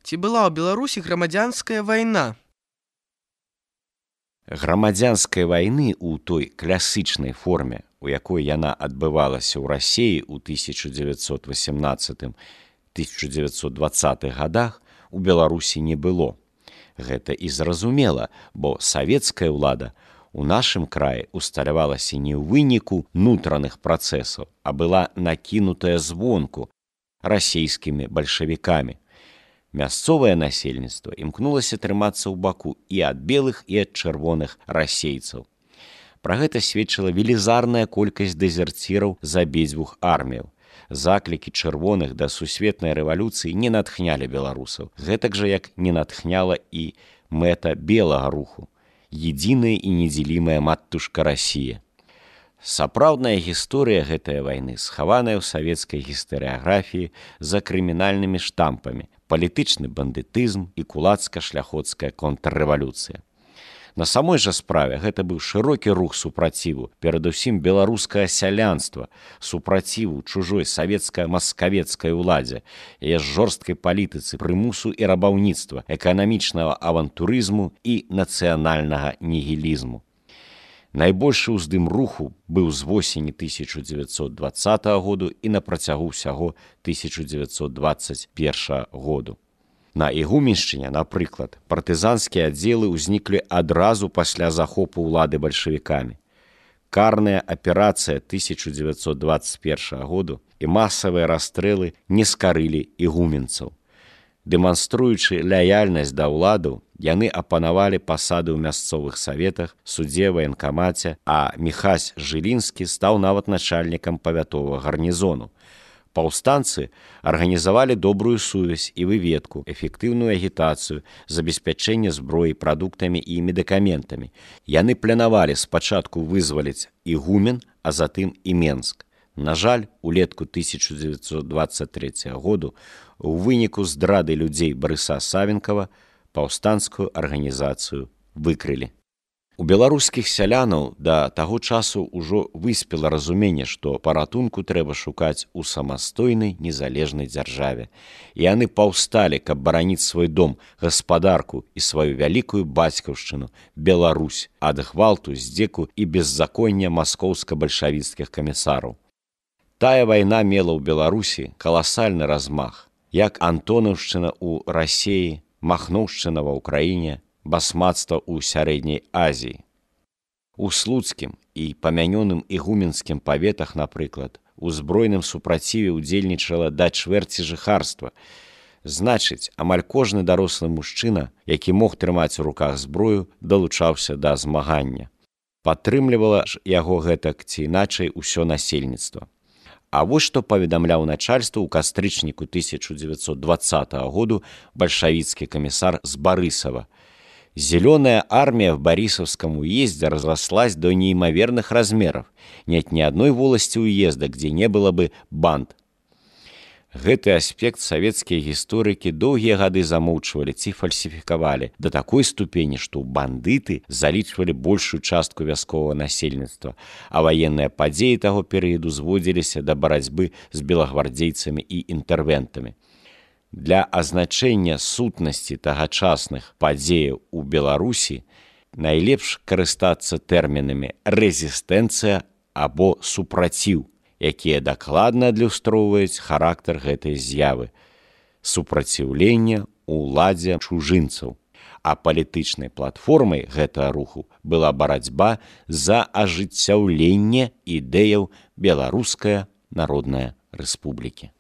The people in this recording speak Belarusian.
Ці была ў Беларусі грамадзянская вайна? Грамадзянскай вайны ў той класычнай форме, у якой яна адбывалася ў Расіі ў 1918-1920 годах, у Беларусі не было. Гэта і зразумела, бо савецкая ўлада у нашым краі усталявалася не ў выніку нутраных працэсаў, а была накінутая звонку расійскімі бальшавікамі. Мясцовае насельніцтва імкнулася трымацца ў баку і ад белых, і ад чырвоных расейцаў. Пра гэта сведчыла велізарная колькасць дэзерціраў з абедзвюх арміяў. Заклікі чырвоных да сусветнай рэвалюцыі не натхнялі беларусаў, гэтак жа як не натхняла і мэта белага руху – единая і недзелімая матушка Расія. Сапраўдная гісторыя гэтай вайны схаваная ў савецкай гістарыяграфіі за крымінальнымі штампамі, палітычны бандытызм і кулацка-шляхоцкая контррэвалюцыя. На самой жа справе гэта быў шырокі рух супраціву, перадусім беларускае сялянства, супраціву чужой савецка-маскавецкай уладзе, яе жорсткай палітыцы, прымусу і рабаўніцтва, эканамічнага авантурызму і нацыянальнага нігілізму. Найбольшы ўздым руху быў з восені 1920 году і на працягу ўсяго 1921 году. На Ігуменшчыне, напрыклад, партызанскія аддзелы ўзніклі адразу пасля захопу ўлады бальшавікамі. Карная аперацыя 1921 году і масавыя расстрэлы не скарылі ігуменцаў. Дэманструючы лаяльнасць да ўладаў, яны апанавалі пасады ў мясцовых саветах, судзе, ваенкамаце, а Міхась Жылінскі стаў нават начальнікам павятовага гарнізону. Паўстанцы арганізавалі добрую сувязь і выведку, эфектыўную агітацыю, забеспячэнне зброі, прадуктамі і медыкаментамі. Яны планавалі спачатку вызваліць Ігумен, а затым і Менск. На жаль, улетку 1923 году у выніку здрады людзей Барыса Савенкава паўстанцкую арганізацыю выкрылі. У беларускіх сялянаў да таго часу ўжо выспела разуменне, што паратунку трэба шукаць у самастойнай незалежнай дзяржаве. І яны паўсталі, каб бараніць свой дом, гаспадарку і сваю вялікую бацькаўшчыну, Беларусь, ад гвалту, здзеку і беззаконня маскоўска-бальшавіцкіх камісараў. Тая вайна мела ў Беларусі каласальны размах, як Антонаўшчына ў Расіі, Махноўшчына ва ўкраіне, басмацтва ў сярэдняй Азіі. У слуцкім і памянёным ігуменскім паветах, напрыклад, у збройным супраціве ўдзельнічала да чвэрці жыхарства. Значыць, амаль кожны дарослы мужчына, які мог трымаць у руках зброю, далучаўся да змагання. Падтрымлівала ж яго гэтак ці іначай усё насельніцтва. А вось што паведамляў начальству ў кастрычніку 1920 году бальшавіцкі камісар з Барысава. Зеленая армия в Борисовском уезде разрослась до неимоверных размеров. Нет ни одной волости уезда, где не было бы банд. Гэты аспект савецкія гісторыкі доўгія гады замоўчвалі ці фальсіфікавалі да такой ступені, што бандыты залічвалі большую частку вясковага насельніцтва, а ваенныя падзеі таго перыяду зводзіліся да барацьбы з белагвардзейцамі і інтэрвентамі. Для азначэння сутнасці тагачасных падзеяў у Беларусі найлепш карыстацца тэрмінамі рэзістэнцыя або супраціў, якія дакладна адлюстроўваюць характар гэтай з'явы – супраціўлення ўладзе чужынцаў. А палітычнай платформай гэтага руху была барацьба за ажыццяўленне ідэяў Беларуская Народная Рэспублікі.